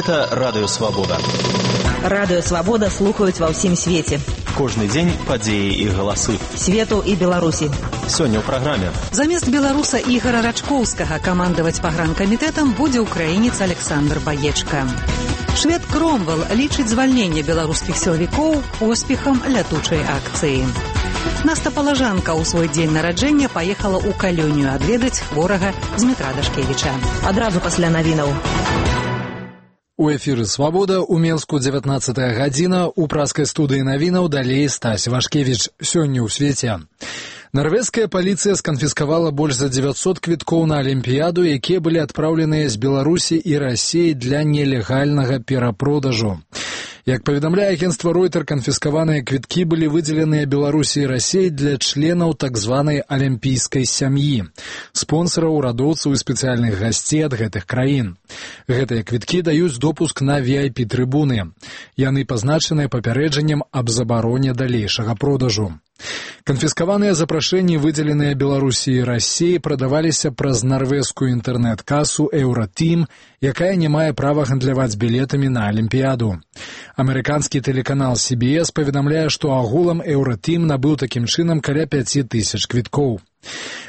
Гэта Радыё Свабода. Радыё Свабода слухаюць ва ўсім свеце. Кожны дзень падзеі і галасы. Свету і Беларусі. Сёння ў праграме. Замест беларуса Ігора Рачкоўскага камандаваць пагранкамітэтам будзе украінец Александр Баечка. Швед Кромвел лічыць звальненне беларускіх сілавікоў поспехам лятучай акцыі. Наста Палажанка ў свой дзень нараджэння паехала ў Калёнію адведаць хворага Змітра Дашкевіча. Адразу пасля навінаў. У эфіры «Свабода» у Менску 19 гадзіна, у праскай студыі навінаў далей Стась Вашкевіч. Сёння ў свеце. Нарвежская паліцыя сканфіскавала больш за 900 квіткоў на Алімпіяду, якія былі адпраўленыя з Беларусі і Расіі для нелегальнага перапродажу. Як паведамляе агенцтва Ройтер, канфіскаваныя квіткі былі выдзеленыя Беларусі і Расіі для членаў так званай алімпійскай сям'і, спонсараў, урадоўцаў і спецыяльных гасцей ад гэтых краін. Гэтыя квіткі даюць допуск на VIP-трыбуны. Яны пазначаныя папярэджаннем аб забароне далейшага продажу. Канфіскаваныя запрашэнні, выдзеленыя Беларусі і Расіі, прадаваліся праз нарвежскую інтэрнэт-касу «Еўратім», якая не мае права гандляваць білетамі на Алімпіяду. Амерыканскі тэлеканал CBS паведамляе, што агулам «Еўратім» набыў такім чынам каля 5000 квіткоў.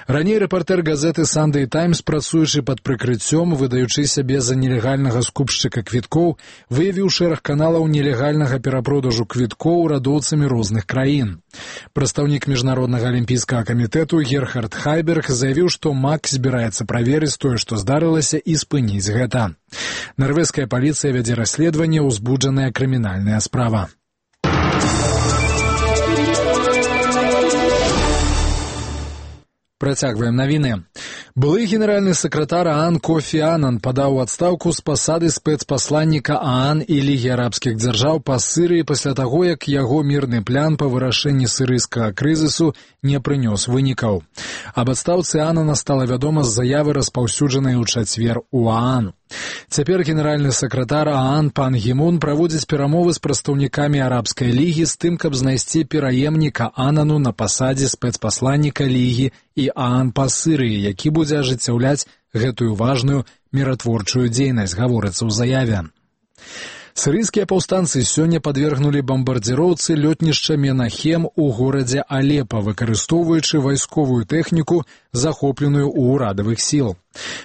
Раней рэпартэр газеты «Сандэй Таймс», працуючы пад прыкрыццём, выдаючы сябе за нелегальнага скупшчыка квіткоў, выявіў шэраг каналаў нелегальнага перапродажу квіткоў урадоўцамі розных краін. Прадстаўнік Міжнароднага алімпійскага камітэту Герхард Хайберг заявіў, што МАК збіраецца праверыць тое, што здарылася, і спыніць гэта. Нарвежская паліцыя вядзе расследаванне, узбуджаная крымінальная справа. Працягваем навіны. Былы генеральны сакратар ААН Кофі Анан падаў у адстаўку з пасады спецпасланніка ААН і Лігі арабскіх дзяржаў па Сірыі пасля таго, як яго мірны план па вырашэнні сірыйскага крызісу не прынёс вынікаў. Аб адстаўцы Анана стала вядома з заявы, распаўсюджанай у чацвер у ААН. Цяпер генеральны сакратар ААН Пан Гі Мун праводзіць перамовы з прадстаўнікамі арабскай лігі з тым, каб знайсці пераемніка Анану на пасадзе спецпасланніка лігі і ААН па Сірыі, які будзе ажыццяўляць гэтую важную міратворчую дзейнасць, гаворыцца ў заяве. Сірыйскія паўстанцы сёння падвергнулі бамбардзіроўцы лётнішча Менахем у горадзе Алепа, выкарыстоўваючы вайсковую тэхніку, захопленую ў урадавых сіл.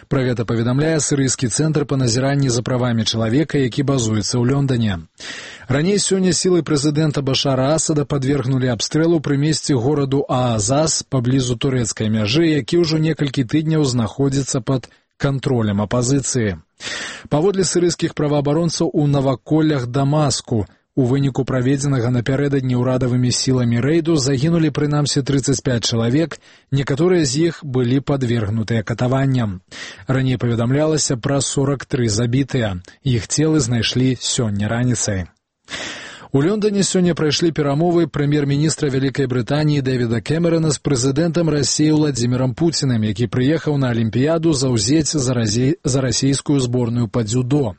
Пра гэта паведамляе сірыйскі цэнтр па назіранні за правамі чалавека, які базуецца ў Лондане. Раней сёння сілы прэзідэнта Башара Асада падвергнулі абстрэлу пры месцы гораду Аазас паблізу турэцкай мяжы, які ўжо некалькі тыдняў знаходзіцца пад кантролем апазіцыі. Паводле сірыйскіх праваабаронцаў, у наваколлях Дамаску у выніку праведзенага напярэдадні ўрадавымі сіламі рэйду загінулі прынамсі 35 чалавек, некаторыя з іх былі падвергнутыя катаванням. Раней паведамлялася пра 43 забітыя. Іх целы знайшлі сёння раніцай. У Лондоне сёння прайшлі перамовы прэм'ер-міністра Вялікай Брытаніі Дэвіда Кэмерана з прэзідэнтам Расіі Владзімірам Пуцінам, які прыехаў на Алімпіяду заўзець за расійскую зборную па дзюдо.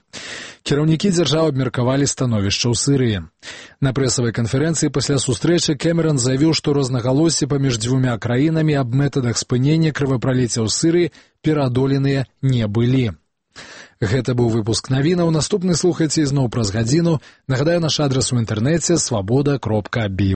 Кіраўнікі дзяржаў абмеркавалі становішча ў Сірыі. На прэсавай канферэнцыі пасля сустрэчы Кэмеран заявіў, што рознагалоссі паміж дзвюма краінамі аб мэтадах спынення крывапраліцця ў Сірыі пераадоленыя не былі. Гэта быў выпуск навінаў. Наступны слухайце ізноў праз гадзіну. Нагадаю, наш адрас у інтэрнэце свабода.бі.